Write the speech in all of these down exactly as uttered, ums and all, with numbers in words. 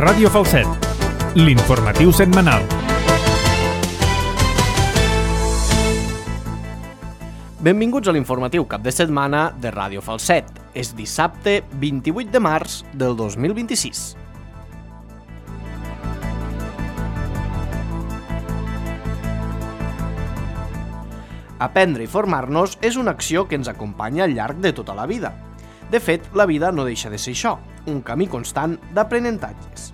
Ràdio Falset, l'informatiu setmanal. Benvinguts a l'informatiu cap de setmana de Ràdio Falset. És dissabte vint-i-vuit de març del dos mil vint-i-sis. Aprendre i formar-nos és una acció que ens acompanya al llarg de tota la vida. De fet, la vida no deixa de ser això, un camí constant d'aprenentatges.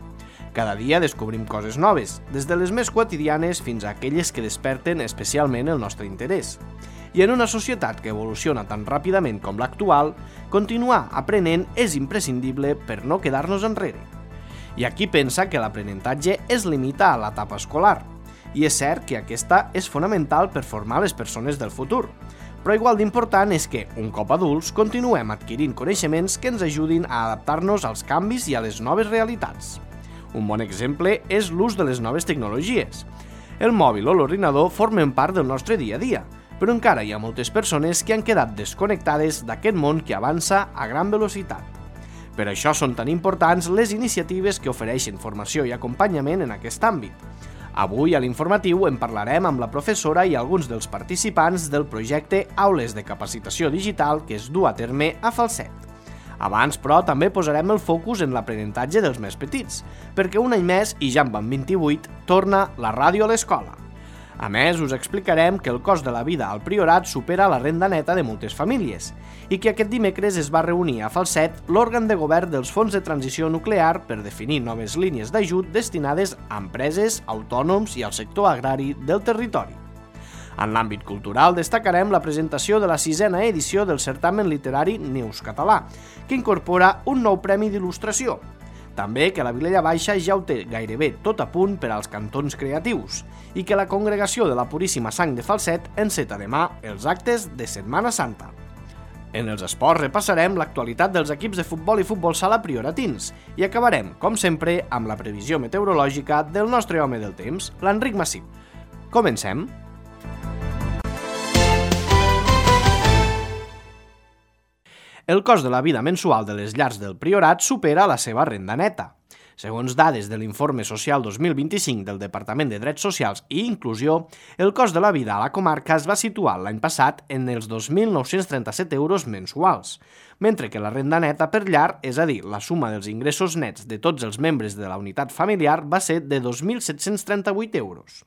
Cada dia descobrim coses noves, des de les més quotidianes fins a aquelles que desperten especialment el nostre interès. I en una societat que evoluciona tan ràpidament com l'actual, continuar aprenent és imprescindible per no quedar-nos enrere. Hi ha qui pensa que l'aprenentatge es limita a l'etapa escolar, i és cert que aquesta és fonamental per formar les persones del futur, però igual d'important és que, un cop adults, continuem adquirint coneixements que ens ajudin a adaptar-nos als canvis i a les noves realitats. Un bon exemple és l'ús de les noves tecnologies. El mòbil o l'ordinador formen part del nostre dia a dia, però encara hi ha moltes persones que han quedat desconnectades d'aquest món que avança a gran velocitat. Per això són tan importants les iniciatives que ofereixen formació i acompanyament en aquest àmbit. Avui a l'informatiu en parlarem amb la professora i alguns dels participants del projecte Aules de Capacitació Digital que es du a terme a Falset. Abans, però, també posarem el focus en l'aprenentatge dels més petits, perquè un any més, i ja en van vint-i-vuit, torna la ràdio a l'escola. A més, us explicarem que el cost de la vida al Priorat supera la renda neta de moltes famílies i que aquest dimecres es va reunir a Falset l'òrgan de govern dels fons de transició nuclear per definir noves línies d'ajut destinades a empreses, autònoms i al sector agrari del territori. En l'àmbit cultural destacarem la presentació de la sisena edició del certamen literari Neus Català, que incorpora un nou premi d'il·lustració. També que la Vilella Baixa ja ho té gairebé tot a punt per als cantons creatius i que la Congregació de la Puríssima Sang de Falset enceta demà els actes de Setmana Santa. En els esports repassarem l'actualitat dels equips de futbol i futbol sala prioratins i acabarem, com sempre, amb la previsió meteorològica del nostre home del temps, l'Enric Massip. Comencem! El cost de la vida mensual de les llars del Priorat supera la seva renda neta. Segons dades de l'Informe Social dos mil vint-i-cinc del Departament de Drets Socials i Inclusió, el cost de la vida a la comarca es va situar l'any passat en els dos mil nou-cents trenta-set euros mensuals, mentre que la renda neta per llar, és a dir, la suma dels ingressos nets de tots els membres de la unitat familiar, va ser de dos mil set-cents trenta-vuit euros.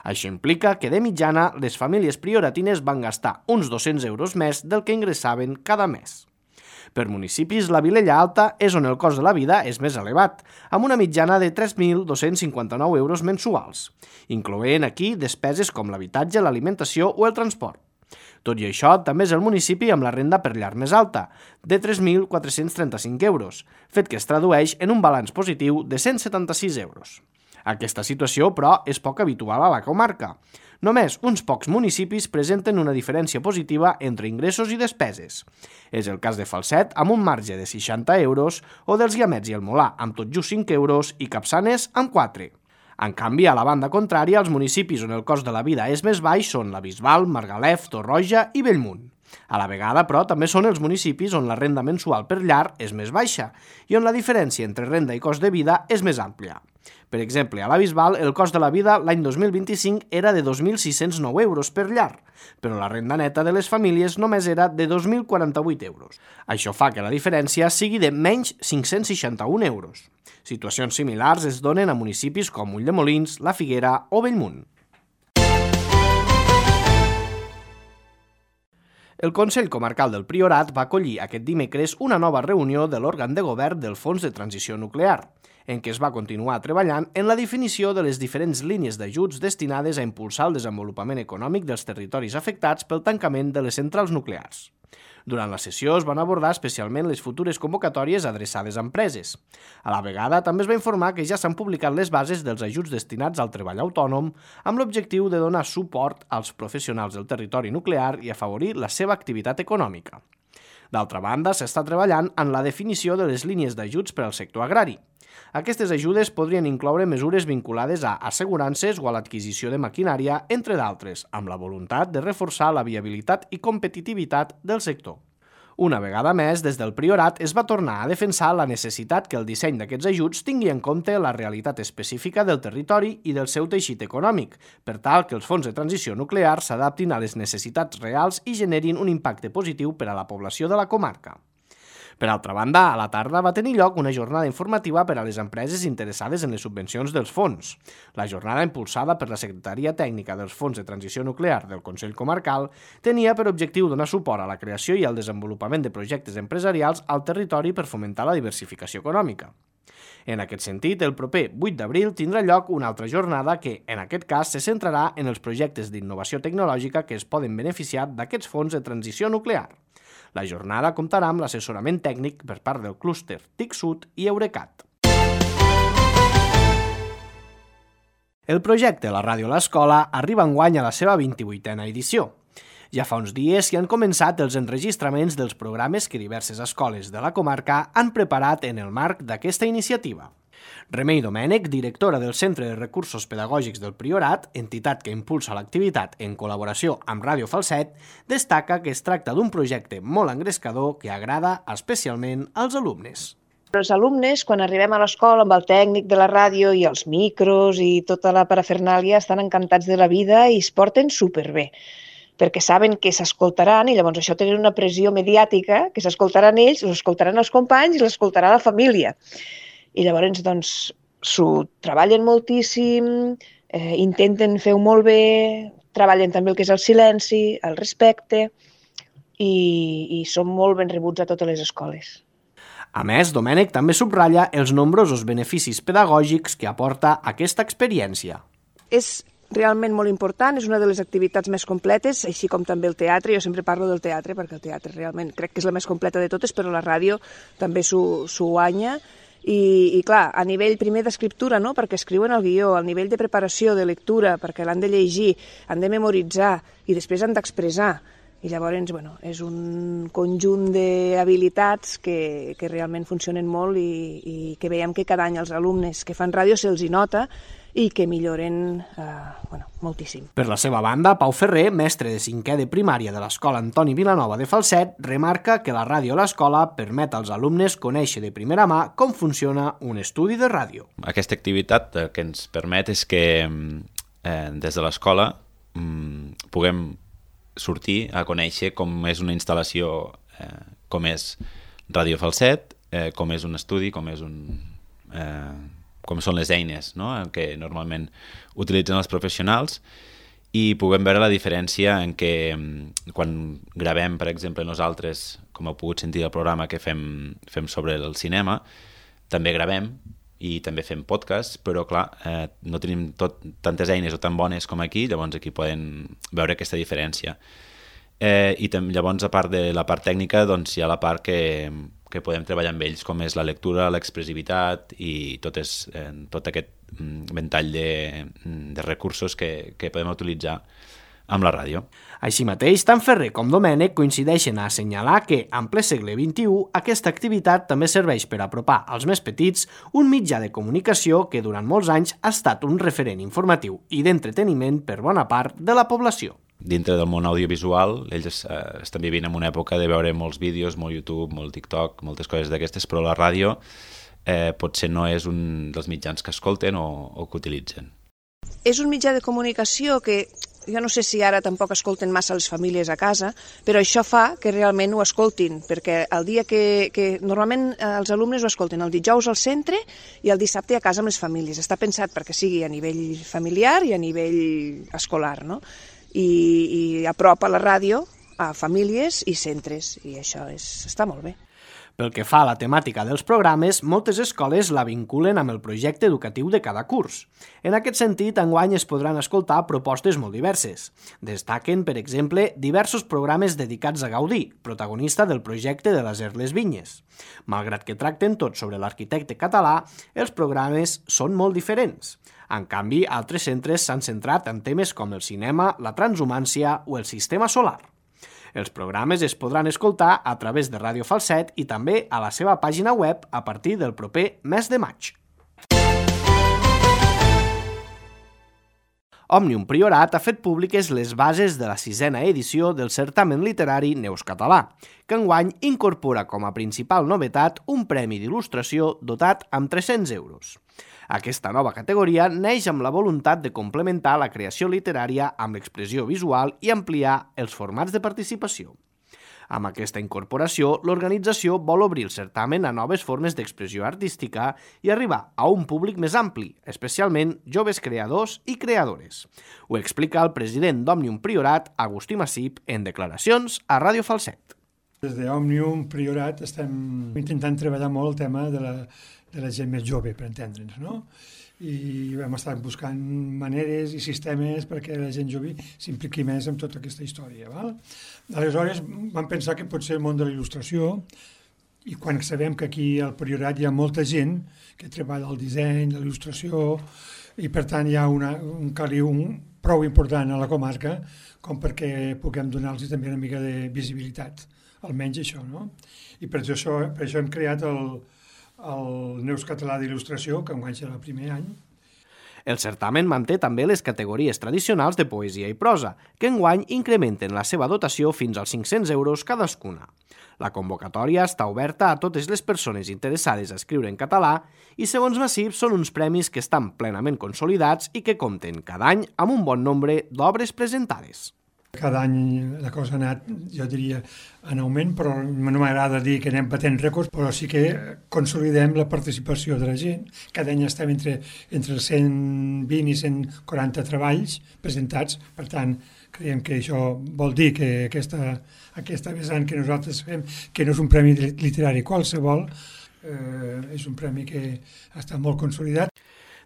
Això implica que, de mitjana, les famílies prioratines van gastar uns dos-cents euros més del que ingressaven cada mes. Per municipis, la Vilella Alta és on el cost de la vida és més elevat, amb una mitjana de tres mil dos-cents cinquanta-nou euros mensuals, incloent aquí despeses com l'habitatge, l'alimentació o el transport. Tot i això, també és el municipi amb la renda per llar més alta, de tres mil quatre-cents trenta-cinc euros, fet que es tradueix en un balanç positiu de cent setanta-sis euros. Aquesta situació, però, és poc habitual a la comarca. Només uns pocs municipis presenten una diferència positiva entre ingressos i despeses. És el cas de Falset, amb un marge de seixanta euros, o dels Guiamets i el Molar, amb tot just cinc euros, i Capçanes, amb quatre. En canvi, a la banda contrària, els municipis on el cost de la vida és més baix són la Bisbal, Margalef, Torroja i Bellmunt. A la vegada, però, també són els municipis on la renda mensual per llar és més baixa i on la diferència entre renda i cost de vida és més àmplia. Per exemple, a la Bisbal, el cost de la vida l'any dos mil vint-i-cinc era de dos mil sis-cents nou euros per llar, però la renda neta de les famílies només era de dos mil quaranta-vuit euros. Això fa que la diferència sigui de menys cinc-cents seixanta-un euros. Situacions similars es donen a municipis com Ulldemolins, La Figuera o Bellmunt. El Consell Comarcal del Priorat va acollir aquest dimecres una nova reunió de l'òrgan de govern del Fons de Transició Nuclear, en què es va continuar treballant en la definició de les diferents línies d'ajuts destinades a impulsar el desenvolupament econòmic dels territoris afectats pel tancament de les centrals nuclears. Durant la sessió es van abordar especialment les futures convocatòries adreçades a empreses. A la vegada, també es va informar que ja s'han publicat les bases dels ajuts destinats al treball autònom amb l'objectiu de donar suport als professionals del territori nuclear i afavorir la seva activitat econòmica. D'altra banda, s'està treballant en la definició de les línies d'ajuts per al sector agrari. Aquestes ajudes podrien incloure mesures vinculades a assegurances o a l'adquisició de maquinària, entre d'altres, amb la voluntat de reforçar la viabilitat i competitivitat del sector. Una vegada més, des del Priorat es va tornar a defensar la necessitat que el disseny d'aquests ajuts tingui en compte la realitat específica del territori i del seu teixit econòmic, per tal que els fons de transició nuclear s'adaptin a les necessitats reals i generin un impacte positiu per a la població de la comarca. Per altra banda, a la tarda va tenir lloc una jornada informativa per a les empreses interessades en les subvencions dels fons. La jornada, impulsada per la Secretaria Tècnica dels Fons de Transició Nuclear del Consell Comarcal, tenia per objectiu donar suport a la creació i al desenvolupament de projectes empresarials al territori per fomentar la diversificació econòmica. En aquest sentit, el proper vuit d'abril tindrà lloc una altra jornada que, en aquest cas, se centrarà en els projectes d'innovació tecnològica que es poden beneficiar d'aquests fons de transició nuclear. La jornada comptarà amb l'assessorament tècnic per part del clúster T I C Sud i Eurecat. El projecte La Ràdio a l'Escola arriba enguany a la seva vint-i-vuitena edició. Ja fa uns dies que han començat els enregistraments dels programes que diverses escoles de la comarca han preparat en el marc d'aquesta iniciativa. Remei Domènech, directora del Centre de Recursos Pedagògics del Priorat, entitat que impulsa l'activitat en col·laboració amb Ràdio Falset, destaca que es tracta d'un projecte molt engrescador que agrada especialment als alumnes. Els alumnes, quan arribem a l'escola amb el tècnic de la ràdio i els micros i tota la parafernàlia, estan encantats de la vida i es porten superbé, perquè saben que s'escoltaran i llavors això té una pressió mediàtica, que s'escoltaran ells, l'escoltaran els companys i l'escoltarà la família. I llavors, doncs, s'ho treballen moltíssim, eh, intenten fer-ho molt bé, treballen també el que és el silenci, el respecte, i, i són molt ben rebuts a totes les escoles. A més, Domènech també subratlla els nombrosos beneficis pedagògics que aporta aquesta experiència. És realment molt important, és una de les activitats més completes, així com també el teatre. Jo sempre parlo del teatre perquè el teatre realment crec que és la més completa de totes, però la ràdio també s'ho guanya. I, i clar, a nivell primer d'escriptura, no? Perquè escriuen el guió, al nivell de preparació, de lectura, perquè l'han de llegir, han de memoritzar i després han d'expressar. I llavors, bueno, és un conjunt d'habilitats que, que realment funcionen molt i, i que veiem que cada any els alumnes que fan ràdio se'ls hi nota i que milloren eh, bueno, moltíssim. Per la seva banda, Pau Ferrer, mestre de cinquè de primària de l'Escola Antoni Vilanova de Falset, remarca que la ràdio a l'escola permet als alumnes conèixer de primera mà com funciona un estudi de ràdio. Aquesta activitat el que ens permet és que eh, des de l'escola mm, puguem sortir a conèixer com és una instal·lació, eh, com és Ràdio Falset, eh, com és un estudi, com és un... Eh, com són les eines, no?, que normalment utilitzen els professionals, i puguem veure la diferència en què quan gravem, per exemple, nosaltres, com heu pogut sentir el programa que fem, fem sobre el cinema, també gravem i també fem podcast, però clar, eh, no tenim tot, tantes eines o tan bones com aquí, llavors aquí poden veure aquesta diferència. Eh, I tam, llavors, a part de la part tècnica, doncs hi ha la part que... que podem treballar amb ells, com és la lectura, l'expressivitat i tot, és, eh, tot aquest ventall de, de recursos que, que podem utilitzar amb la ràdio. Així mateix, tant Ferrer com Domènech coincideixen a assenyalar que, en ple segle vint-i-u, aquesta activitat també serveix per apropar als més petits un mitjà de comunicació que durant molts anys ha estat un referent informatiu i d'entreteniment per bona part de la població. Dintre del món audiovisual, ells eh, estan vivint en una època de veure molts vídeos, molt YouTube, molt TikTok, moltes coses d'aquestes, però la ràdio eh, potser no és un dels mitjans que escolten o, o que utilitzen. És un mitjà de comunicació que jo no sé si ara tampoc escolten massa les famílies a casa, però això fa que realment ho escoltin, perquè el dia que, que normalment els alumnes ho escolten el dijous al centre i el dissabte a casa amb les famílies. Està pensat perquè sigui a nivell familiar i a nivell escolar, no? I, i apropa la ràdio a famílies i centres, i això és, està molt bé. Pel que fa a la temàtica dels programes, moltes escoles la vinculen amb el projecte educatiu de cada curs. En aquest sentit, enguany es podran escoltar propostes molt diverses. Destaquen, per exemple, diversos programes dedicats a Gaudí, protagonista del projecte de l'Acer les Vinyes. Malgrat que tracten tot sobre l'arquitecte català, els programes són molt diferents. En canvi, altres centres s'han centrat en temes com el cinema, la transhumància o el sistema solar. Els programes es podran escoltar a través de Ràdio Falset i també a la seva pàgina web a partir del proper mes de maig. Òmnium Priorat ha fet públiques les bases de la sisena edició del certamen literari Neus Català, que enguany incorpora com a principal novetat un premi d'il·lustració dotat amb tres-cents euros. Aquesta nova categoria neix amb la voluntat de complementar la creació literària amb l'expressió visual i ampliar els formats de participació. Amb aquesta incorporació, l'organització vol obrir el certamen a noves formes d'expressió artística i arribar a un públic més ampli, especialment joves creadors i creadores. Ho explica el president d'Òmnium Priorat, Agustí Massip, en declaracions a Ràdio Falset. Des d'Òmnium Priorat estem intentant treballar molt el tema de la, de la gent més jove, per entendre'ns, no? I hem estat buscant maneres i sistemes perquè la gent jove s'impliqui més en tota aquesta història. Val? Aleshores vam pensar que potser el món de la il·lustració, i quan sabem que aquí al Priorat hi ha molta gent que treballa el disseny, la il·lustració, i per tant hi ha una, un caliu un, prou important a la comarca com perquè puguem donar-los també una mica de visibilitat, almenys això, no? I per això, per això hem creat el el Neus Català d'il·lustració, que enguany serà el primer any. El certamen manté també les categories tradicionals de poesia i prosa, que enguany incrementen la seva dotació fins als cinc-cents euros cadascuna. La convocatòria està oberta a totes les persones interessades a escriure en català i, segons Massip, són uns premis que estan plenament consolidats i que compten cada any amb un bon nombre d'obres presentades. Cada any la cosa ha anat, jo diria, en augment, però no m'agrada dir que anem batent rècords, però sí que consolidem la participació de la gent. Cada any estem entre, entre els cent vint i cent quaranta treballs presentats, per tant, creiem que això vol dir que aquesta, aquesta vessant que nosaltres fem, que no és un premi literari qualsevol, eh, és un premi que està molt consolidat.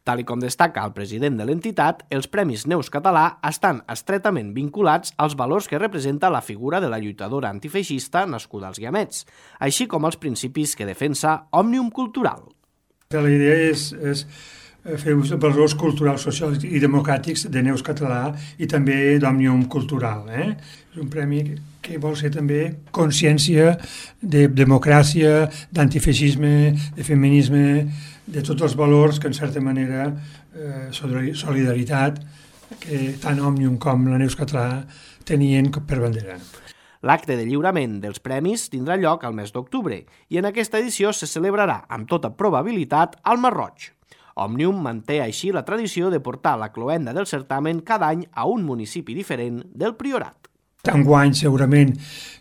Tal com destaca el president de l'entitat, els Premis Neus Català estan estretament vinculats als valors que representa la figura de la lluitadora antifeixista nascuda als Guiamets, així com els principis que defensa Òmnium Cultural. La idea és, és fer ús dels valors culturals, socials i democràtics de Neus Català i també d'Òmnium Cultural. Eh? És un premi que vol ser també consciència de democràcia, d'antifeixisme, de feminisme, de tots els valors que, en certa manera, eh, solidaritat, que tant Òmnium com la Neus Català tenien per bandera. L'acte de lliurament dels premis tindrà lloc al mes d'octubre i en aquesta edició se celebrarà, amb tota probabilitat, al Masroig. Òmnium manté així la tradició de portar la cloenda del certamen cada any a un municipi diferent del Priorat. Enguany segurament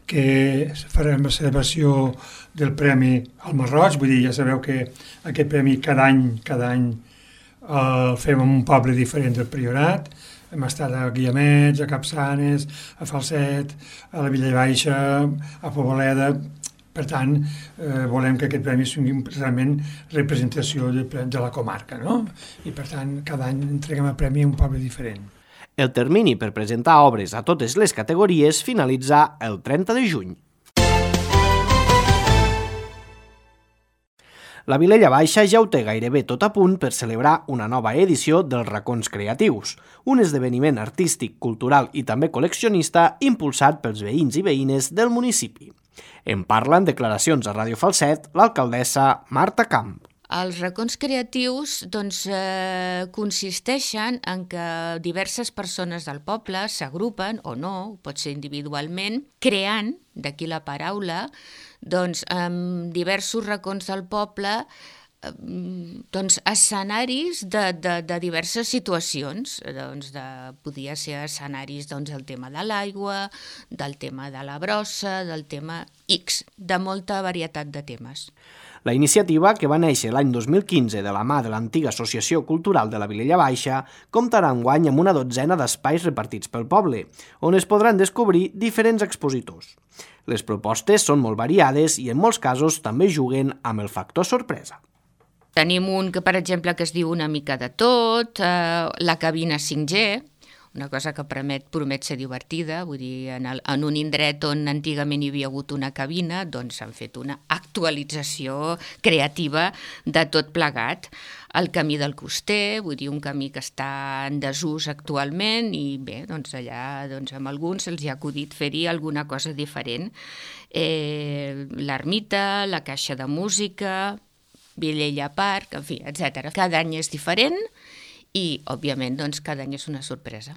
que farem la celebració del premi al Masroig, vull dir, ja sabeu que aquest premi cada any, cada any el fem en un poble diferent del Priorat. Hem estat a Guiamets, a Capçanes, a Falset, a la Villa Baixa, a Poboleda. Per tant, eh, volem que aquest premi sigui realment representació de, de la comarca, no? I per tant, cada any entreguem el premi a un poble diferent. El termini per presentar obres a totes les categories finalitza el trenta de juny. La Vilella Baixa ja ho té gairebé tot a punt per celebrar una nova edició dels Racons Creatius, un esdeveniment artístic, cultural i també col·leccionista impulsat pels veïns i veïnes del municipi. En parla en declaracions a Ràdio Falset l'alcaldessa Marta Camp. Els racons creatius doncs, eh, consisteixen en que diverses persones del poble s'agrupen, o no, pot ser individualment, creant, d'aquí la paraula, doncs, en diversos racons del poble, eh, doncs, escenaris de, de, de diverses situacions. Doncs, de, podia ser escenaris doncs, del tema de l'aigua, del tema de la brossa, del tema X, de molta varietat de temes. La iniciativa, que va néixer l'any dos mil quinze de la mà de l'antiga Associació Cultural de la Vilella Baixa, comptarà enguany amb una dotzena d'espais repartits pel poble, on es podran descobrir diferents expositors. Les propostes són molt variades i en molts casos també juguen amb el factor sorpresa. Tenim un que, per exemple, que es diu Una mica de tot, eh, la cabina cinc G, una cosa que promet, promet ser divertida, vull dir, en, el, en un indret on antigament hi havia hagut una cabina, doncs s'han fet una actualització creativa de tot plegat. El camí del coster, vull dir, un camí que està en desús actualment i bé, doncs allà doncs, amb alguns se'ls ha acudit fer-hi alguna cosa diferent. Eh, l'ermita, la caixa de música, Vilella Park, en fi, etcètera. Cada any és diferent i, òbviament, doncs, cada any és una sorpresa.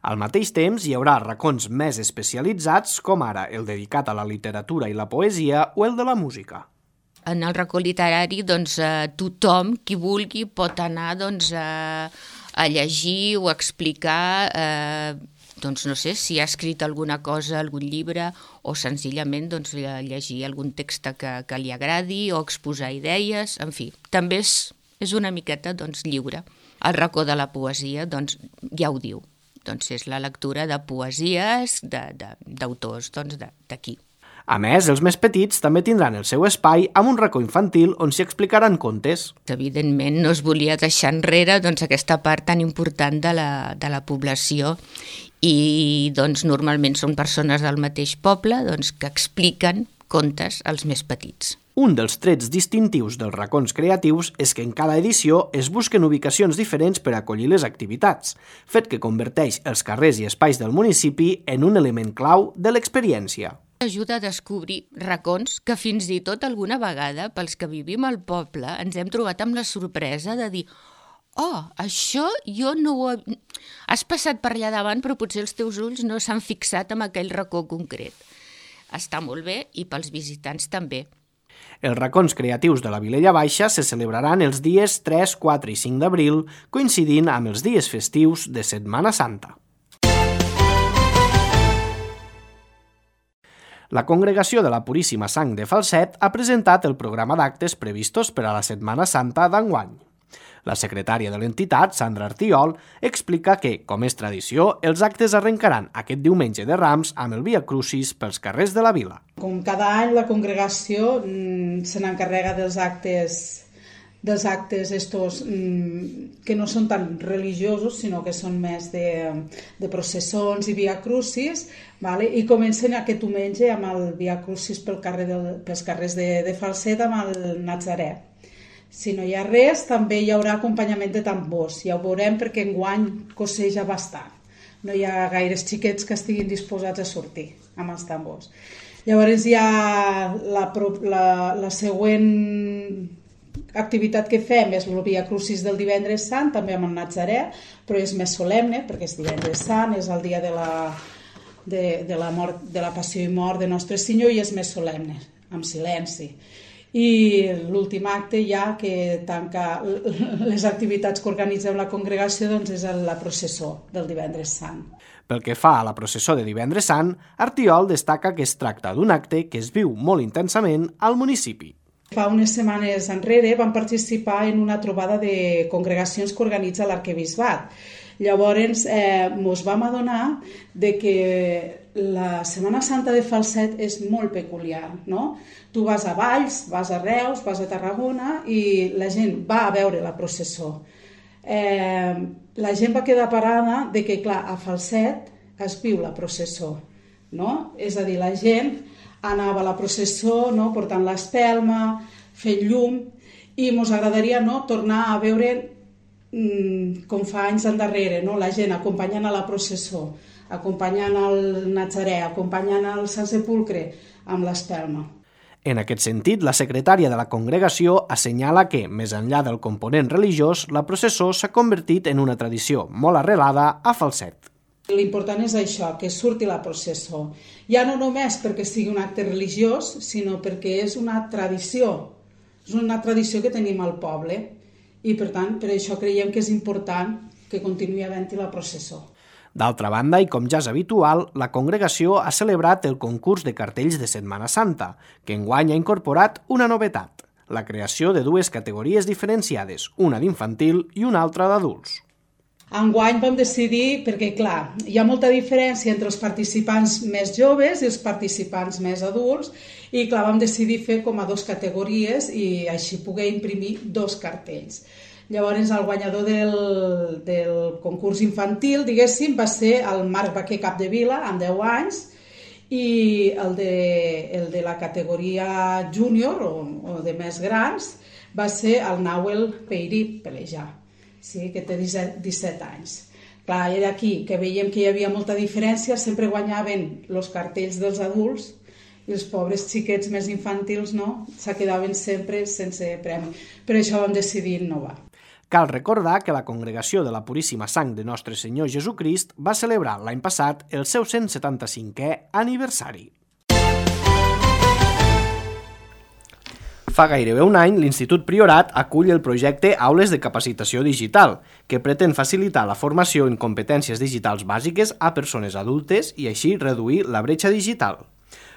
Al mateix temps, hi haurà racons més especialitzats, com ara el dedicat a la literatura i la poesia o el de la música. En el racó literari, doncs, eh, tothom, qui vulgui, pot anar doncs, a, a llegir o a explicar, eh, doncs, no sé, si ha escrit alguna cosa, algun llibre, o senzillament doncs, llegir algun text que, que li agradi o exposar idees, en fi, també és, és una miqueta doncs, lliure. El racó de la poesia, doncs, ja ho diu, doncs és la lectura de poesies d'autors doncs, d'aquí. A més, els més petits també tindran el seu espai amb un racó infantil on s'hi explicaran contes. Evidentment, no es volia deixar enrere doncs, aquesta part tan important de la, de la població i doncs, normalment són persones del mateix poble doncs, que expliquen contes als més petits. Un dels trets distintius dels racons creatius és que en cada edició es busquen ubicacions diferents per acollir les activitats, fet que converteix els carrers i espais del municipi en un element clau de l'experiència. Ajuda a descobrir racons que fins i tot alguna vegada, pels que vivim al poble, ens hem trobat amb la sorpresa de dir oh, això jo no ho he... Has passat per allà davant, però potser els teus ulls no s'han fixat en aquell racó concret. Està molt bé i pels visitants també. Els racons creatius de la Vilella Baixa se celebraran els dies tres, quatre i cinc d'abril, coincidint amb els dies festius de Setmana Santa. La Congregació de la Puríssima Sang de Falset ha presentat el programa d'actes previstos per a la Setmana Santa d'enguany. La secretària de l'entitat, Sandra Artiol, explica que, com és tradició, els actes arrencaran aquest diumenge de Rams amb el Via Crucis pels carrers de la vila. Com cada any, la congregació mm, se n'encarrega dels actes, dels actes estos, mm, que no són tan religiosos, sinó que són més de, de processons i Via Crucis, vale? I comencen aquest diumenge amb el Via Crucis pel carrer del, pels carrers de, de Falset amb el Nazaré. Si no hi ha res, també hi haurà acompanyament de tambors. Ja ho veurem perquè enguany cosseja bastant. No hi ha gaires xiquets que estiguin disposats a sortir amb els tambors. Llavors hi ha la, la, la següent activitat que fem és el Via Crucis del divendres sant, també amb el Nazaré, però és més solemne perquè és divendres sant, és el dia de la, de, de la, mort, de la passió i mort de Nostre Senyor i és més solemne, amb silenci. I l'últim acte ja que tanca les activitats que organitzem la congregació doncs és la processó del divendres sant. Pel que fa a la processó de divendres sant, Artiol destaca que es tracta d'un acte que es viu molt intensament al municipi. Fa unes setmanes enrere vam participar en una trobada de congregacions que organitza l'Arquebisbat. Llavors eh, ens vam adonar de que la Setmana Santa de Falset és molt peculiar, no? Tu vas a Valls, vas a Reus, vas a Tarragona i la gent va a veure la processó. Eh, la gent va quedar parada de que, clar, a Falset es viu la processó, no? És a dir, la gent anava a la processó, no? Portant l'espelma, fent llum, i ens agradaria, no? Tornar a veure mm, com fa anys endarrere, no? La gent acompanyant a la processó, acompanyant el Nazaré, acompanyant el Sant Sepulcre amb l'espelma. En aquest sentit, la secretària de la congregació assenyala que, més enllà del component religiós, la processó s'ha convertit en una tradició molt arrelada a Falset. L'important és això, que surti la processó. Ja no només perquè sigui un acte religiós, sinó perquè és una tradició. És una tradició que tenim al poble i, per tant, per això creiem que és important que continuï havent-hi la processó. D'altra banda, i com ja és habitual, la congregació ha celebrat el concurs de cartells de Setmana Santa, que enguany ha incorporat una novetat, la creació de dues categories diferenciades, una d'infantil i una altra d'adults. Enguany vam decidir, perquè clar, hi ha molta diferència entre els participants més joves i els participants més adults, i clar, vam decidir fer com a dos categories i així poder imprimir dos cartells. Llavors, el guanyador del, del concurs infantil, diguéssim, va ser el Marc Baquer Capdevila, amb deu anys, i el de, el de la categoria júnior, o, o de més grans, va ser el Nauel Peirí Pelejar, sí, que té disset anys. Clar, era aquí que veiem que hi havia molta diferència, sempre guanyaven els cartells dels adults, i els pobres xiquets més infantils no, se quedaven sempre sense premi. Per això vam decidir innovar. Cal recordar que la Congregació de la Puríssima Sang de Nostre Senyor Jesucrist va celebrar l'any passat el seu cent setanta-cinquè aniversari. Fa gairebé un any, l'Institut Priorat acull el projecte Aules de Capacitació Digital, que pretén facilitar la formació en competències digitals bàsiques a persones adultes i així reduir la bretxa digital.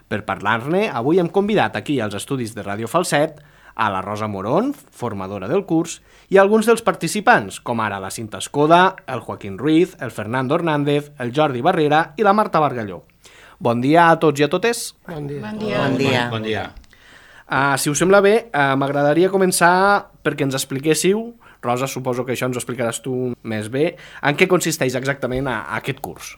Per parlar-ne, avui hem convidat aquí als estudis de Ràdio Falset a la Rosa Morón, formadora del curs, i alguns dels participants, com ara la Cinta Escoda, el Joaquín Ruiz, el Fernando Hernández, el Jordi Barrera i la Marta Bargalló. Bon dia a tots i a totes. Bon dia. Bon dia. Bon dia. Bon dia. Uh, si us sembla bé, uh, m'agradaria començar perquè ens expliquéssiu, Rosa, suposo que això ens ho explicaràs tu més bé, en què consisteix exactament a, a aquest curs.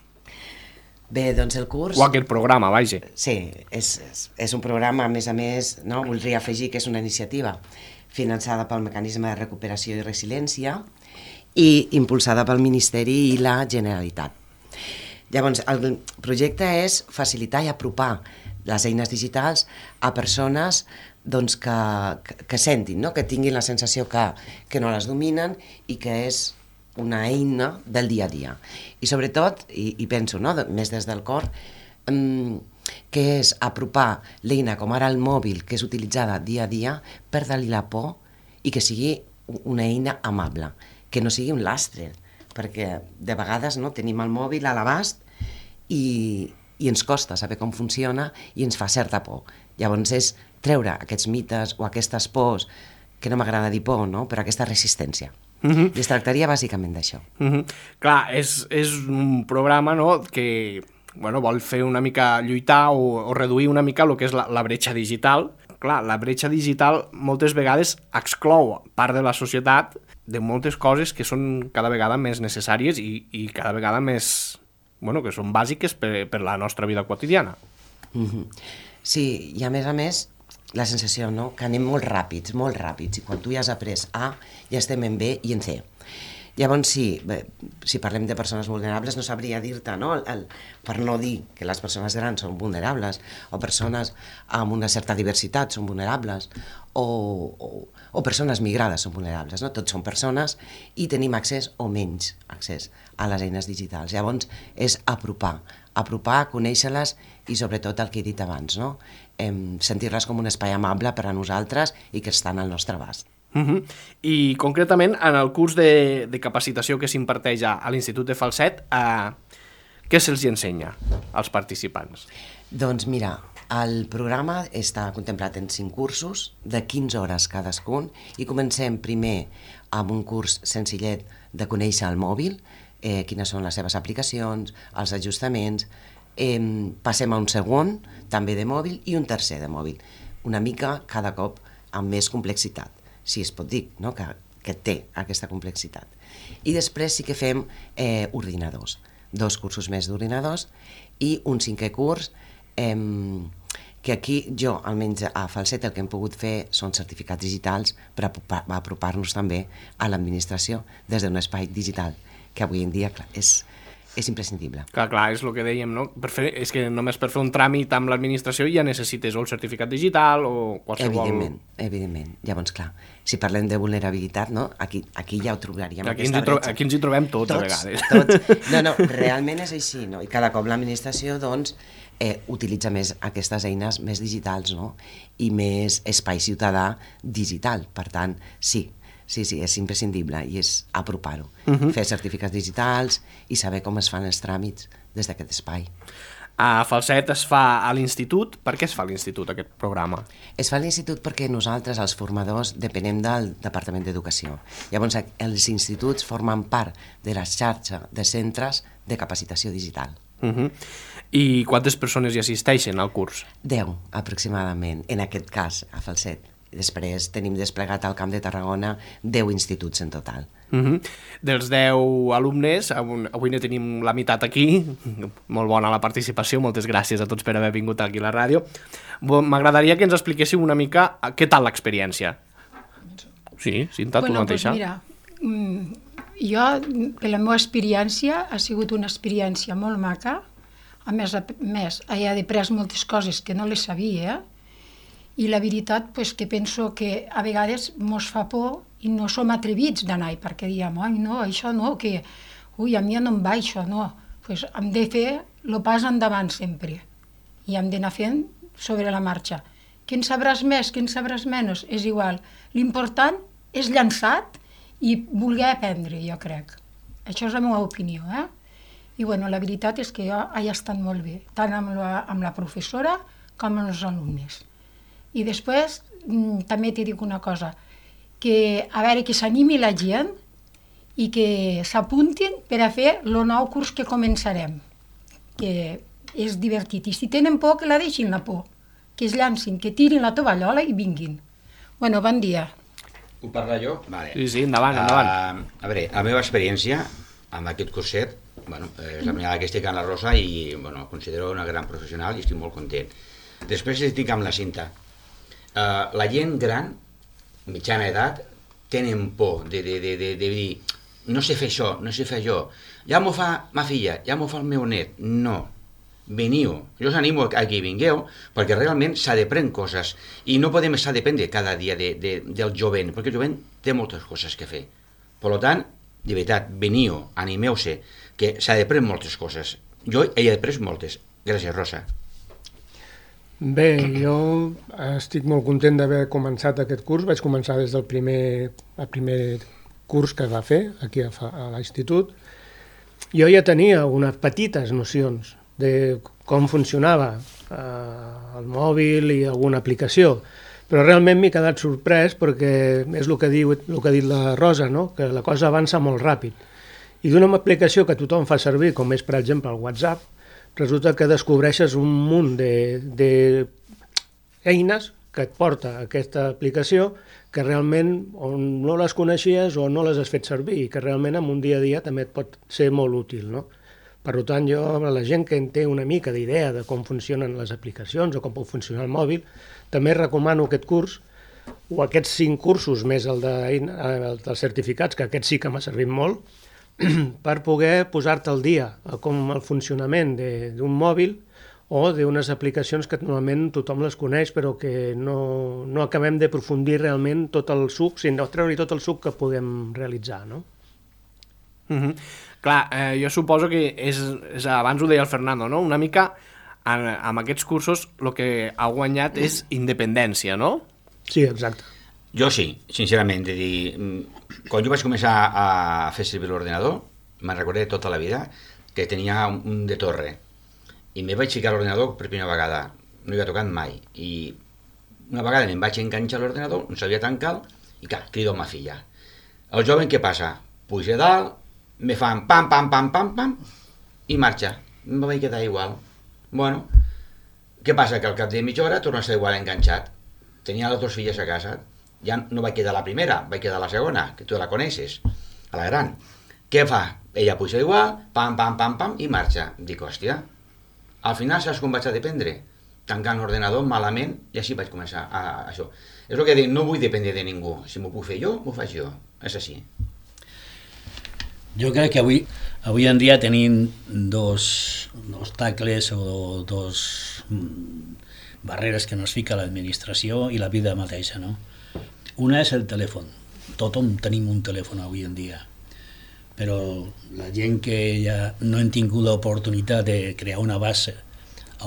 Bé, doncs el curs... O aquest programa, vaja. Sí, és, és, és un programa, a més a més, no? Voldria afegir que és una iniciativa finançada pel Mecanisme de Recuperació i Resiliència i impulsada pel Ministeri i la Generalitat. Llavors, el projecte és facilitar i apropar les eines digitals a persones doncs, que, que, que sentin, no? Que tinguin la sensació que, que no les dominen i que és una eina del dia a dia. I sobretot, i, i penso, no? Més des del cor, um, que és apropar l'eina com ara el mòbil, que és utilitzada dia a dia, perdre-li la por i que sigui una eina amable, que no sigui un lastre, perquè de vegades no, tenim el mòbil a l'abast i, i ens costa saber com funciona i ens fa certa por. Llavors és treure aquests mites o aquestes pors, que no m'agrada dir por, no? Però aquesta resistència. Uh-huh. I es tractaria bàsicament d'això. Uh-huh. Clar, és, és un programa, no?, que bueno, vol fer una mica lluitar o, o reduir una mica el que és la, la bretxa digital. Clar, la bretxa digital moltes vegades exclou part de la societat de moltes coses que són cada vegada més necessàries i, i cada vegada més... Bueno, que són bàsiques per, per la nostra vida quotidiana. Uh-huh. Sí, i a més a més, la sensació, no?, que anem molt ràpids, molt ràpids, i quan tu ja has après A, ja estem en B i en C. Llavors, sí, bé, si parlem de persones vulnerables, no sabria dir-te, no?, el, el, per no dir que les persones grans són vulnerables, o persones amb una certa diversitat són vulnerables, o, o, o persones migrades són vulnerables, no? Tots són persones i tenim accés o menys accés a les eines digitals. Llavors, és apropar, apropar, conèixer-les i sobretot el que he dit abans, no? Em, sentir-les com un espai amable per a nosaltres i que estan al nostre abast. Uh-huh. I concretament en el curs de, de capacitació que s'imparteix a, a l'Institut de Falset, eh, què se'ls ensenya als participants? Doncs mira, el programa està contemplat en cinc cursos de quinze hores cadascun i comencem primer amb un curs senzillet de conèixer el mòbil, eh, quines són les seves aplicacions, els ajustaments, eh, passem a un segon també de mòbil i un tercer de mòbil, una mica cada cop amb més complexitat, si es pot dir, no? que, que té aquesta complexitat. I després sí que fem eh, ordinadors, dos cursos més d'ordinadors i un cinquè curs eh, que aquí jo, almenys a Falset, el que hem pogut fer són certificats digitals per apropar-nos també a l'administració des d'un espai digital, que avui en dia clar, és, és imprescindible. Clar, clar, és el que dèiem, no? Per fer, és que només per fer un tràmit amb l'administració ja necessites o el certificat digital o qualsevol... Evidentment, evidentment. Llavors, clar, si parlem de vulnerabilitat, no? Aquí, aquí ja ho trobaríem. Aquí ens, tro aquí ens hi trobem tots, tots a vegades. Tots. No, no, realment és així, no? I cada cop l'administració, doncs, eh, utilitza més aquestes eines més digitals, no? I més espai ciutadà digital. Per tant, sí, sí, sí, és imprescindible i és apropar-ho. Uh-huh. Fer certificats digitals i saber com es fan els tràmits des d'aquest espai. A Falset es fa a l'institut. Per què es fa a l'institut aquest programa? Es fa a l'institut perquè nosaltres, els formadors, depenem del Departament d'Educació. Llavors, els instituts formen part de la xarxa de centres de capacitació digital. Uh-huh. I quantes persones hi assisteixen al curs? Deu, aproximadament, en aquest cas, a Falset. Després tenim desplegat al Camp de Tarragona deu instituts en total. Uh-huh. Dels deu alumnes, avui ne tenim la meitat aquí, molt bona la participació, moltes gràcies a tots per haver vingut aquí a la ràdio. M'agradaria que ens expliquéssiu una mica què tal l'experiència. Sí, Cinta, tu bueno, mateixa. Pues mira, jo, per la meva experiència, ha sigut una experiència molt maca, a més, a més he après moltes coses que no les sabia, i la veritat pues, que penso que a vegades mos fa por i no som atrevits d'anar-hi, perquè diem, ai, no, això no, que, ui, a mi no em va això, no. Pues hem de fer el pas endavant sempre, i hem d'anar fent sobre la marxa. Que en sabràs més, que en sabràs menys, és igual. L'important és llançat i voler aprendre, jo crec. Això és la meva opinió, eh? I bueno, la veritat és que jo he estat molt bé, tant amb la, amb la professora com amb els alumnes. I després també t'hi dic una cosa, que a veure que s'animi la gent i que s'apuntin per a fer el nou curs que començarem, que és divertit. I si tenen por, que la deixin la por, que es llancin, que tirin la tovallola i vinguin. Bueno, bon dia. Ho parla jo? Vale. Sí, sí, endavant, endavant. Uh, a veure, la meva experiència amb aquest curset, bueno, és la primera que estic amb la Rosa i bueno, considero una gran professional i estic molt content. Després estic amb la Cinta. Uh, la gent gran, mitjana edat, tenen por de, de, de, de, de dir no sé fer això, no sé fer allò. Ja m'ho fa ma filla, ja m'ho fa el meu net. No. Veniu. Jo us animo a que vingueu, perquè realment s'ha de prendre coses i no podem estar a dependre cada dia de, de, del jovent, perquè el jovent té moltes coses que fer. Per tant, de veritat, veniu, animeu-se, que s'ha de prendre moltes coses. Jo he après moltes. Gràcies, Rosa. Bé, jo estic molt content d'haver començat aquest curs. Vaig començar des del primer, el primer curs que va fer aquí a, a l'institut. Jo ja tenia unes petites nocions de com funcionava eh, el mòbil i alguna aplicació, però realment m'he quedat sorprès perquè és el que, diu, el que ha dit la Rosa, no? Que la cosa avança molt ràpid. I d'una aplicació que tothom fa servir, com és per exemple el WhatsApp, resulta que descobreixes un munt d'eines que et porta aquesta aplicació que realment o no les coneixies o no les has fet servir i que realment en un dia a dia també et pot ser molt útil, no? Per tant, jo a la gent que en té una mica d'idea de com funcionen les aplicacions o com pot funcionar el mòbil, també recomano aquest curs o aquests cinc cursos més el, de, el dels certificats, que aquest sí que m'ha servit molt, per poder posar-te al dia com el funcionament d'un mòbil o d'unes aplicacions que normalment tothom les coneix però que no, no acabem de aprofundir realment tot el suc, sinó treure-hi tot el suc que podem realitzar, no? Mm-hmm. Clar, eh, jo suposo que és, és, abans ho deia el Fernando, no? Una mica en, amb aquests cursos el que ha guanyat és independència, no? Sí, exacte. Jo sí, sincerament, de dir, quan jo vaig començar a fer servir l'ordenador, me'n recordé tota la vida que tenia un de torre i me vaig ficar l'ordenador per primera vegada, no hi havia tocat mai, i una vegada me'n vaig enganxar l'ordenador, no sabia tancar i clar, crido a ma filla. El jove què passa? Puja dalt, me fan pam, pam, pam, pam, pam, i marxa. Me vaig quedar igual. Bueno, què passa? Que al cap de mitja hora torna a estar igual enganxat. Tenia les dues filles a casa. Ja no vaig quedar la primera, vaig quedar la segona, que tu la coneixes, a la gran. Què fa? Ella puja igual, pam, pam, pam, pam, i marxa. Dic, hòstia, al final saps com vaig a dependre? Tancant l'ordenador malament, i així vaig començar a, a això. És el que dic, no vull dependre de ningú. Si m'ho puc fer jo, m'ho faig jo. És així. Jo crec que avui, avui en dia tenim dos obstacles o dos barreres que ens fica l'administració i la vida mateixa, no? Una és el telèfon. Tothom tenim un telèfon avui en dia, però la gent que ja no hem tingut l'oportunitat de crear una base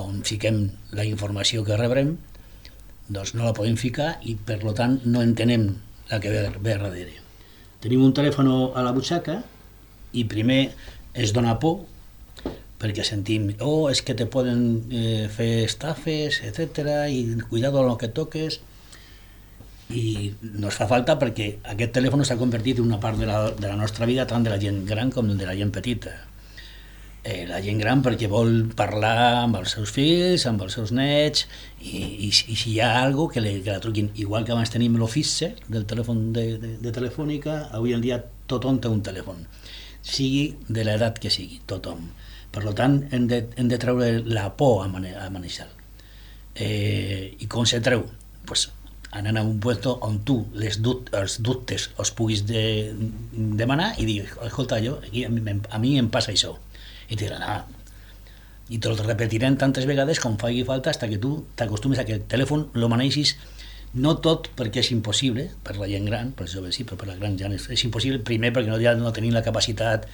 on fiquem la informació que rebrem, doncs no la podem ficar i per tant no entenem la que ve, ve darrere. Tenim un telèfon a la butxaca i primer es dona por perquè sentim, oh, és que te poden eh, fer estafes, etcètera, i cuidado amb el que toques, i no es fa falta perquè aquest telèfon s'ha convertit en una part de la, de la nostra vida, tant de la gent gran com de la gent petita. Eh, la gent gran perquè vol parlar amb els seus fills, amb els seus nets, i, i, i si hi ha alguna cosa que, que la truquin, igual que abans tenim l'ofici del telèfon de, de, de telefònica, avui en dia tothom té un telèfon, sigui de l'edat que sigui, tothom. Per tant, hem de, hem de treure la por a, mane a manejar. Eh, I com se treu? Pues, anant a un puesto on tu les dut els dubtes els puguis de demanar i dir, escolta, jo, aquí, a, mi, a mi em passa això. I te diran, ah, i te lo repetirem tantes vegades com faci falta fins que tu t'acostumes a que el telèfon lo manegis No tot perquè és impossible, per la gent gran, per els joves sí, però per la gran gent és, és impossible, primer perquè no, ja no tenim la capacitat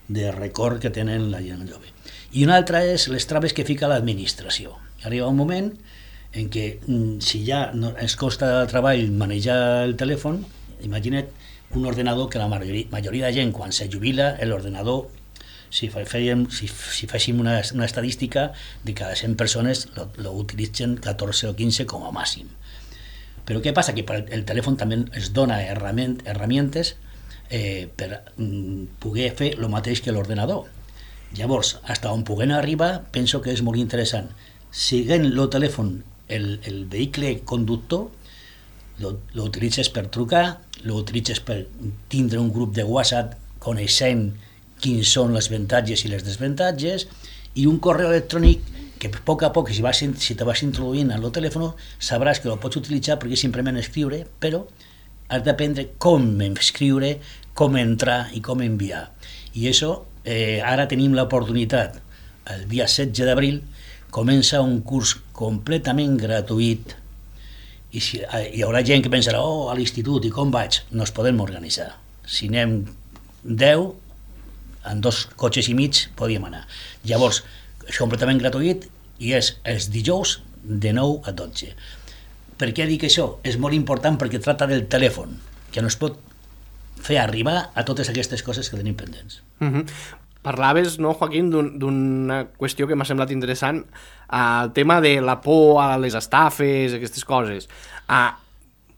de record que tenen la gent jove. I una altra és les traves que fica l'administració. Arriba un moment en què si ja no, ens costa treball manejar el telèfon, imagina't un ordenador que la majoria, majoria de gent quan se jubila, l'ordenador, si, fèiem, si, si féssim una, una estadística, de cada cent persones lo, lo utilitzen catorze o quinze com a màxim. Però què passa? Que el telèfon també es dona herramientes eh, per mm, poder fer el mateix que l'ordenador. Llavors, fins on puguem arribar, penso que és molt interessant. Siguent el telèfon el, el vehicle conductor, lo utilitzes per trucar, lo utilitzes per tindre un grup de WhatsApp coneixent quins són els avantatges i les desavantatges, i un correu electrònic que a poc a poc, si, vas, si te vas introduint en el telèfon, sabràs que el pots utilitzar perquè és simplement escriure, però has d'aprendre com escriure, com entrar i com enviar. I això, eh, ara tenim l'oportunitat, el dia setze d'abril, comença un curs completament gratuït, i si, hi haurà gent que pensarà, oh, a l'institut, i com vaig? No es podem organitzar. Si anem deu, en dos cotxes i mig podíem anar. Llavors, és completament gratuït i és els dijous de nou a dotze. Per què dic això? És molt important perquè tracta del telèfon, que no es pot fer arribar a totes aquestes coses que tenim pendents. Mm-hmm. Parlaves, no, Joaquín, d'una qüestió que m'ha semblat interessant, el tema de la por a les estafes, aquestes coses. Ah,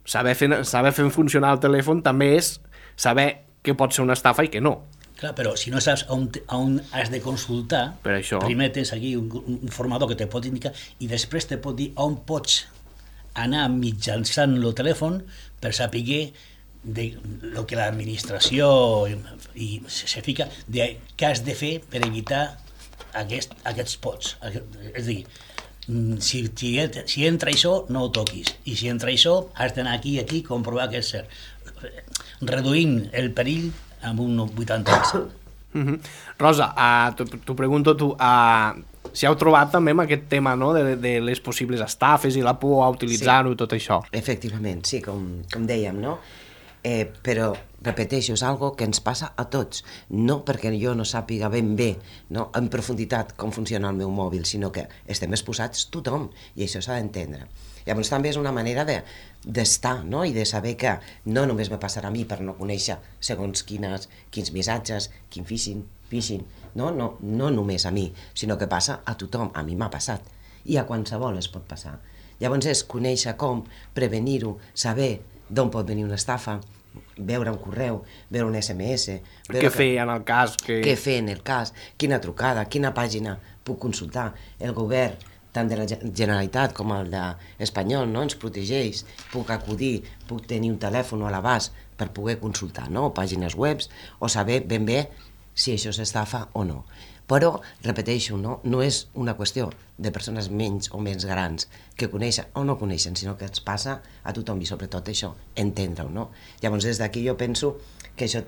saber fer, saber fer funcionar el telèfon també és saber què pot ser una estafa i què no. Clar, però si no saps on, on has de consultar, per això. Primer tens aquí un, un formador que te pot indicar i després te pot dir on pots anar mitjançant el telèfon per saber de lo que l'administració i, i se fica de què has de fer per evitar aquest, aquests pots. És a dir, si, si, si entra això, no ho toquis. I si entra això, has d'anar aquí i aquí comprovar que és cert. Reduint el perill amb un vuitanta per cent. Mm-hmm. Rosa, uh, t'ho pregunto tu, uh, si heu trobat també amb aquest tema, no?, de, de les possibles estafes i la por a utilitzar-ho, sí, tot això. Efectivament, sí, com, com dèiem, no? Eh, però, repeteixo, és algo que ens passa a tots, no perquè jo no sàpiga ben bé, no, en profunditat com funciona el meu mòbil, sinó que estem exposats tothom, i això s'ha d'entendre. Llavors també és una manera de, d'estar, no?, i de saber que no només me passarà a mi per no conèixer segons quines, quins missatges, quin phishing, phishing, no? No, no només a mi, sinó que passa a tothom, a mi m'ha passat, i a qualsevol es pot passar. Llavors és conèixer com, prevenir-ho, saber d'on pot venir una estafa, veure un correu, veure un esse eme esse... Què fer en el cas? Que... Què fer en el cas? Quina trucada? Quina pàgina puc consultar? El govern, tant de la Generalitat com el d'Espanyol, no? Ens protegeix, puc acudir, puc tenir un telèfon a l'abast per poder consultar, no? O pàgines webs, o saber ben bé si això s'estafa o no. Però, repeteixo, no, no és una qüestió de persones menys o més grans que coneixen o no coneixen, sinó que ens passa a tothom, i sobretot això, entendre-ho, no? Llavors, des d'aquí jo penso que això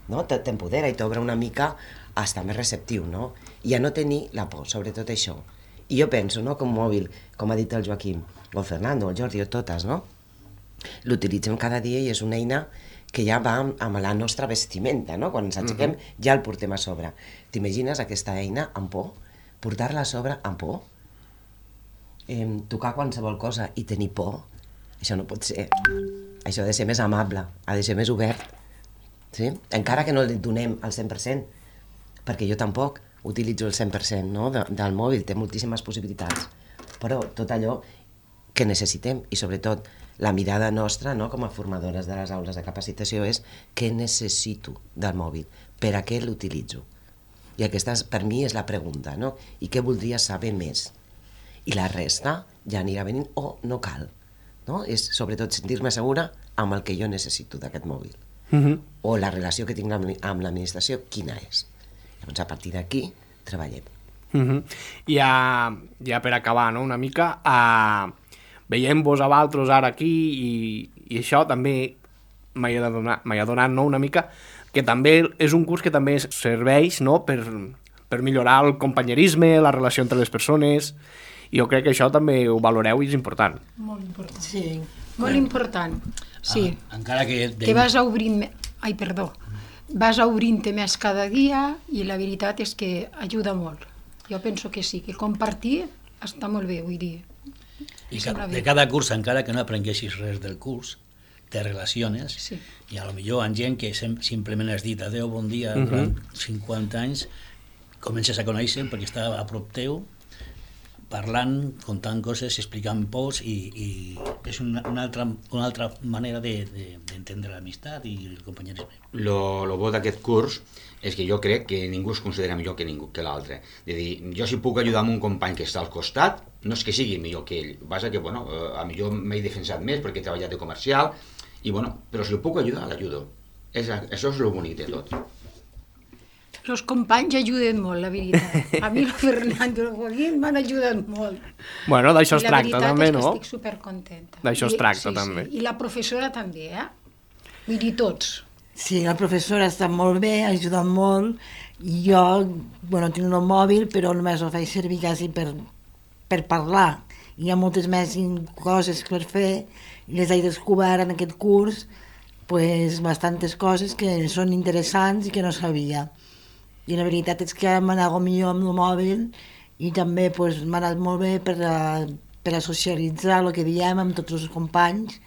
no, t'empodera i t'obre una mica a estar més receptiu, no? I a no tenir la por, sobretot això. I jo penso, no, que un mòbil, com ha dit el Joaquim, o el Fernando, o el Jordi, o totes, no? L'utilitzem cada dia i és una eina que ja va amb, amb la nostra vestimenta, no? Quan ens aixequem, uh-huh, ja el portem a sobre. T'imagines aquesta eina amb por? Portar-la a sobre amb por? Eh, tocar qualsevol cosa i tenir por? Això no pot ser. Això ha de ser més amable, ha de ser més obert. Sí? Encara que no li donem el cent per cent, perquè jo tampoc utilitzo el cent per cent, no? de, del mòbil, té moltíssimes possibilitats. Però tot allò que necessitem, i sobretot la mirada nostra, no, com a formadores de les aules de capacitació, és què necessito del mòbil, per a què l'utilitzo. I aquesta, per mi, és la pregunta, no? I què voldria saber més? I la resta ja anirà venint, o no cal. No? És sobretot sentir-me segura amb el que jo necessito d'aquest mòbil. Uh-huh. O la relació que tinc amb l'administració, quina és. Llavors, a partir d'aquí, treballem. Uh-huh. Ja, ja per acabar, no?, una mica... Uh... veiem-vos a vosaltres ara aquí i, i això també m'ha donat, m'ha donat, no, una mica que també és un curs que també serveix, no, per, per millorar el companyerisme, la relació entre les persones, i jo crec que això també ho valoreu i és important. Molt important. Sí, Molt important, sí. Ah, encara que... Que vas obrint... Ai, perdó. Vas obrint-te més cada dia i la veritat és que ajuda molt. Jo penso que sí, que compartir està molt bé, vull dir. I de cada curs, encara que no aprenguessis res del curs, te relaciones sí. i a lo millor amb gent que simplement has dit adeu, bon dia, uh -huh. durant cinquanta anys, comences a conèixer perquè està a prop teu, parlant, contant coses, explicant pors i, i és una, una, altra, una altra manera d'entendre de, de, l'amistat i el companyerisme. Lo, lo bo d'aquest curs és que jo crec que ningú es considera millor que ningú que l'altre. És a dir, jo si puc ajudar un company que està al costat, no és que sigui millor que ell, basta que, bueno, a millor m'he defensat més perquè he treballat de comercial, i bueno, però si el puc ajudar, l'ajudo. Això és el bonic de tot. Els companys ajuden molt, la veritat. A mi el Fernando i el Joaquín m'han ajudat molt. Bueno, d'això es tracta també, no? I la veritat és que estic supercontenta. D'això es tracta sí, també. Sí. I la professora també, eh? Vull dir, tots. Sí, la professora està molt bé, ha ajudat molt. I jo, bueno, tinc un mòbil, però només ho faig servir quasi per, per parlar. Hi ha moltes més coses per fer i les he descobert en aquest curs, pues, bastantes coses que són interessants i que no sabia. I la veritat és que m'ha anat millor amb el mòbil i també pues, m'ha anat molt bé per a, per a socialitzar el que diem amb tots els companys,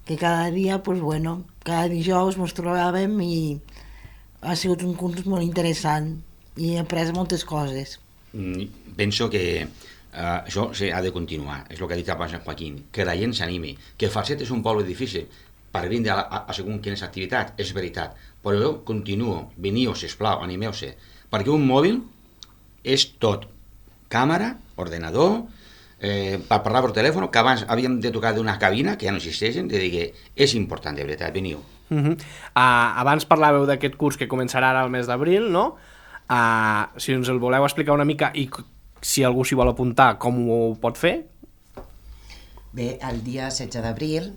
que cada dia, pues, bueno, cada dijous ens trobàvem i ha sigut un curs molt interessant i he après moltes coses. Mm, penso que uh, això ha de continuar, és el que ha dit abans en Joaquín, que la gent s'animi, que Falset és un poble difícil per vindre a, a, a segons quines activitats, és veritat, però jo continuo, veniu, sisplau, animeu-se, perquè un mòbil és tot, càmera, ordenador, eh, per parlar per telèfon, que abans havíem de tocar d'una cabina, que ja no existeixen, de dir que és important, de veritat, veniu. Uh -huh. uh, abans parlàveu d'aquest curs que començarà ara al mes d'abril, no? Uh, si ens el voleu explicar una mica i si algú s'hi vol apuntar, com ho pot fer? Bé, el dia setze d'abril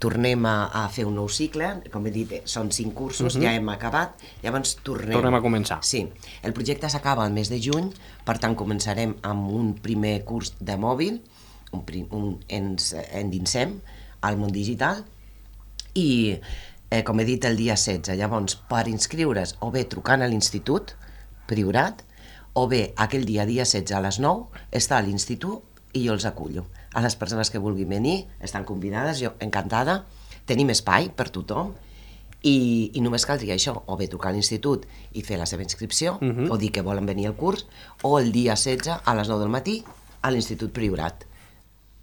tornem a, a fer un nou cicle, com he dit, són cinc cursos, uh -huh. ja hem acabat, llavors tornem... Tornem a començar. Sí, el projecte s'acaba el mes de juny, per tant començarem amb un primer curs de mòbil, un, prim, un, ens endinsem al món digital, i eh, com he dit el dia setze, llavors per inscriure's o bé trucant a l'institut Priorat, o bé aquell dia, dia setze a les nou, està a l'institut i jo els acullo. A les persones que vulguin venir estan convidades, jo encantada, tenim espai per tothom i, i només caldria això, o bé trucar a l'institut i fer la seva inscripció, uh -huh. o dir que volen venir al curs, o el dia setze a les nou del matí a l'Institut Priorat.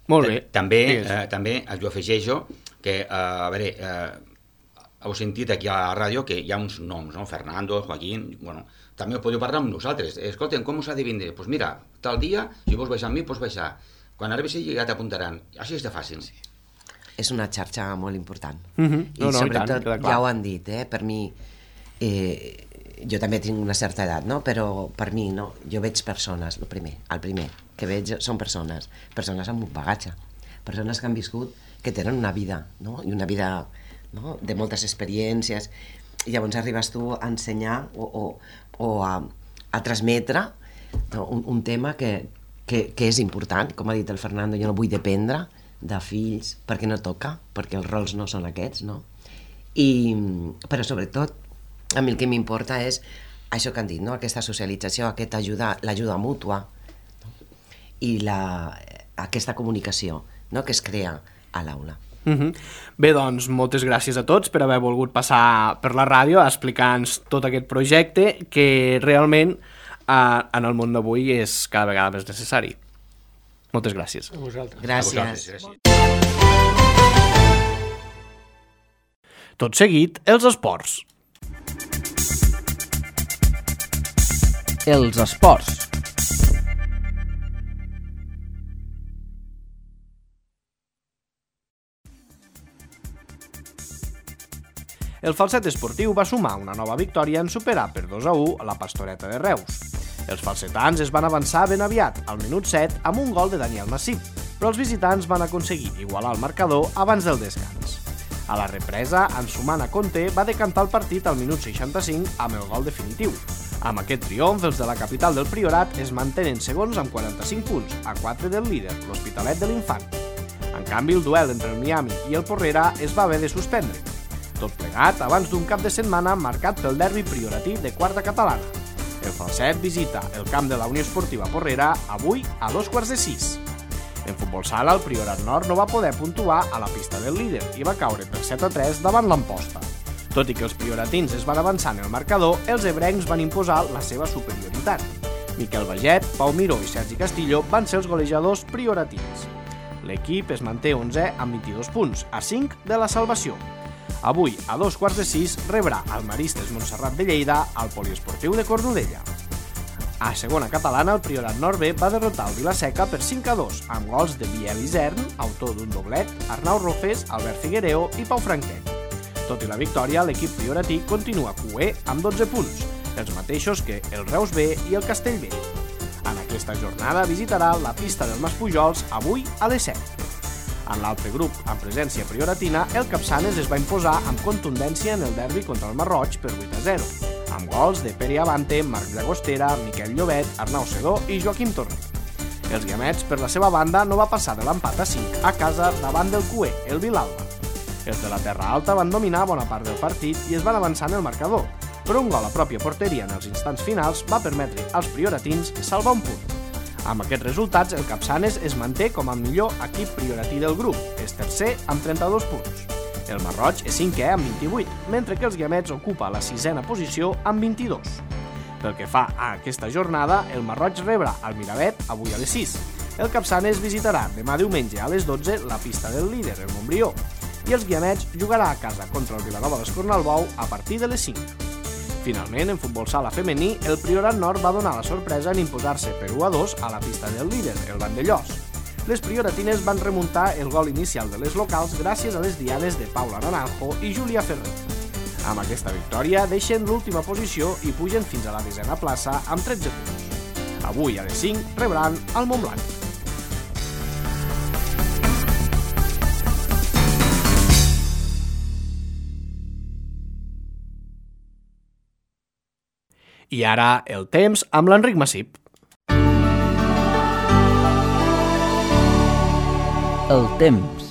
Molt bé. També, eh, també jo afegeixo que, eh, a veure, eh, heu sentit aquí a la ràdio que hi ha uns noms, no? Fernando, Joaquín, bueno, també podeu parlar amb nosaltres. Escolten, com us ha de vindre? Doncs pues mira, tal dia, si vols baixar amb mi, pots baixar. Quan arribis allà ja t'apuntaran. Així és de fàcil. Sí. És una xarxa molt important. Uh -huh. no, I no, sobretot, i tant, ja ho han dit, eh? Per mi, eh, jo també tinc una certa edat, no? Però per mi, no? Jo veig persones, el primer, el primer que veig són persones, persones amb un bagatge, persones que han viscut, que tenen una vida, no? I una vida, no? De moltes experiències, i llavors arribes tu a ensenyar o, o, o a, a transmetre, no? un, un tema que, que, que és important, com ha dit el Fernando, jo no vull dependre de fills, perquè no toca, perquè els rols no són aquests, no? I, però sobretot, a mi el que m'importa és això que han dit, no? Aquesta socialització, aquesta ajuda, l'ajuda mútua, no? I la, aquesta comunicació, no? Que es crea a l'aula. Uh -huh. Bé, doncs, moltes gràcies a tots per haver volgut passar per la ràdio a explicar-nos tot aquest projecte que realment eh, en el món d'avui és cada vegada més necessari. Moltes gràcies. A vosaltres. Gràcies. A vosaltres, gràcies. Tot seguit, els esports. Els esports. El Falset esportiu va sumar una nova victòria en superar per dos a u a la Pastoreta de Reus. Els falsetans es van avançar ben aviat, al minut set, amb un gol de Daniel Massip, però els visitants van aconseguir igualar el marcador abans del descans. A la represa, Ansumana Conte va decantar el partit al minut seixanta-cinc amb el gol definitiu. Amb aquest triomf, els de la capital del Priorat es mantenen segons amb quaranta-cinc punts, a quatre del líder, l'Hospitalet de l'Infant. En canvi, el duel entre el Miami i el Porrera es va haver de suspendre. Tot plegat abans d'un cap de setmana marcat pel derbi prioratí de quarta catalana. El Falset visita el camp de la Unió Esportiva Porrera avui a dos quarts de sis. En futbol sala, el Priorat Nord no va poder puntuar a la pista del líder i va caure per set a tres davant l'Amposta. Tot i que els prioratins es van avançar en el marcador, els ebrencs van imposar la seva superioritat. Miquel Baget, Pau Miró i Sergi Castillo van ser els golejadors prioratins. L'equip es manté onzè amb vint-i-dos punts, a cinc de la salvació. Avui, a dos quarts de sis, rebrà el Maristes Montserrat de Lleida al Poliesportiu de Cornudella. A segona catalana, el Priorat Nord B va derrotar el Vilaseca per cinc a dos, amb gols de Biel Isern, autor d'un doblet, Arnau Rofes, Albert Figuereo i Pau Franquet. Tot i la victòria, l'equip prioratí continua cué amb dotze punts, els mateixos que el Reus B i el Castellbell. En aquesta jornada visitarà la pista del Mas Pujols avui a les set. En l'altre grup, amb presència prioratina, el Capçanes es va imposar amb contundència en el derbi contra el Marroig per vuit a zero, amb gols de Pere Avante, Marc Llagostera, Miquel Llobet, Arnau Sedó i Joaquim Torner. Els guiamets, per la seva banda, no va passar de l'empat a cinc a casa davant del cué, el Vilalba. Els de la Terra Alta van dominar bona part del partit i es van avançar en el marcador, però un gol a pròpia porteria en els instants finals va permetre als prioratins salvar un punt. Amb aquests resultats, el Capçanes es manté com el millor equip prioratí del grup, és tercer amb trenta-dos punts. El Marroig és cinquè amb vint-i-vuit, mentre que els guiamets ocupa la sisena posició amb vint-i-dos. Pel que fa a aquesta jornada, el Marroig rebrà el Miravet avui a les sis. El Capçanes visitarà demà diumenge a les dotze la pista del líder, el Montbrió, i els guiamets jugarà a casa contra el Vilanova d'Escornalbou a partir de les cinc. Finalment, en futbol sala femení, el Priorat Nord va donar la sorpresa en imposar-se per u a dos a la pista del líder, el Vandellós. Les prioratines van remuntar el gol inicial de les locals gràcies a les dianes de Paula Naranjo i Júlia Ferrer. Amb aquesta victòria deixen l'última posició i pugen fins a la desena plaça amb tretze punts. Avui a les cinc rebran el Montblanc. I ara el temps amb l'Enric Massip. El temps.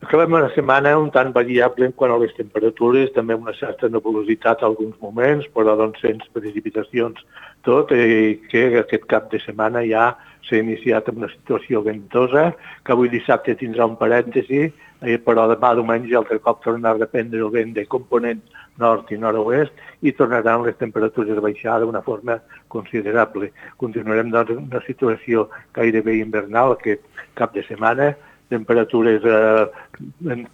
Acabem una setmana un tant variable en quant a les temperatures, també una certa nebulositat a alguns moments, però doncs sense precipitacions tot, i que aquest cap de setmana ja s'ha iniciat amb una situació ventosa, que avui dissabte tindrà un parèntesi, però demà diumenge altre cop tornarà a reprendre el vent de component nord i nord-oest i tornaran les temperatures a baixar d'una forma considerable. Continuarem doncs en una situació gairebé invernal aquest cap de setmana, temperatures eh,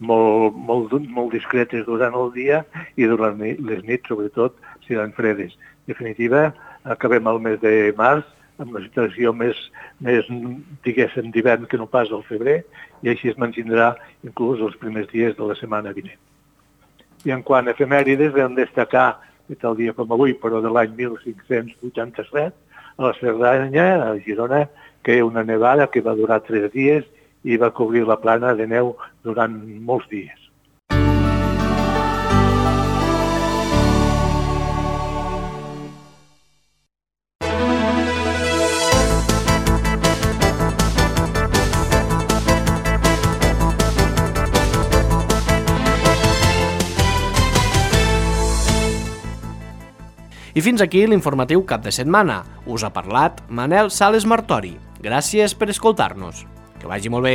molt, molt, molt discretes durant el dia i durant les nits, sobretot, seran fredes. En definitiva, acabem el mes de març amb una situació més, més diguéssim, d'hivern que no pas al febrer, i així es mantindrà inclús els primers dies de la setmana vinent. I en quant a efemèrides, vam destacar, tal dia com avui, però de l'any mil cinc-cents vuitanta-set, a la Cerdanya, a Girona, que hi ha una nevada que va durar tres dies i va cobrir la plana de neu durant molts dies. I fins aquí l'informatiu cap de setmana. Us ha parlat Manel Sales Martori. Gràcies per escoltar-nos. Que vagi molt bé.